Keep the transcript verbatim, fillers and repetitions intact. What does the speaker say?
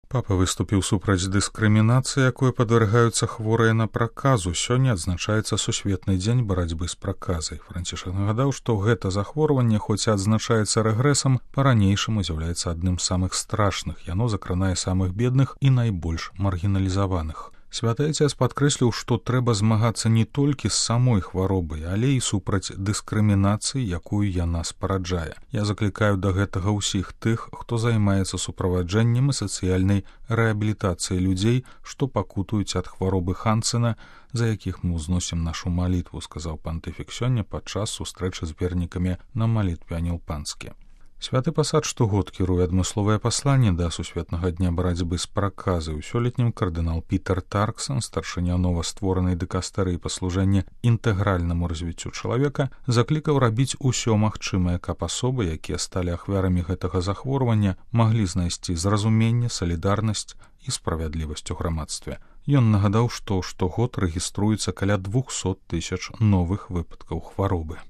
Папа выступіў супраць дыскрымінацыі, якой падвяргаюцца хворыя на праказу. Сёння адзначаецца сусветны дзень барацьбы з праказай. Францішак нагадаў, што гэта захворванне, хоць і адзначаецца рэгрэсам, па-ранейшаму з'яўляецца адным з самых страшных. Яно закранае самых бедных і найбольш маргіналізаваных. Святы Ацец падкрэсліў, што трэба змагацца не толькі з самой хваробай, але і супраць дыскрымінацыі, якую яна спараджае. Я заклікаю да гэтага ўсіх тых, хто займаецца суправаджэннем і сацыяльнай рэабілітацыяй людзей, што пакутуюць ад хваробы Хансена, за якіх мы ўзносім нашу малітву, сказаў пантыфік сёння падчас сустрэчы з вернікамі на малітве Анілпанскі. Святы пасад штогод кіруе адмысловае пасланне да сусветнага дня барацьбы з праказай. У сёлетнім кардынал Пітер Тарксон, старшыня новастворанай дыкастэрыі па служэнні інтэгральнаму развіццю чалавека, заклікаў рабіць усё магчымае, каб асобы, якія сталі ахвярамі гэтага захворвання, маглі знайсці зразуменне, салідарнасць і справядлівасць у грамадстве. Ён нагадаў, што штогод рэгіструецца каля двухсот тысяч новых выпадкаў хваробы.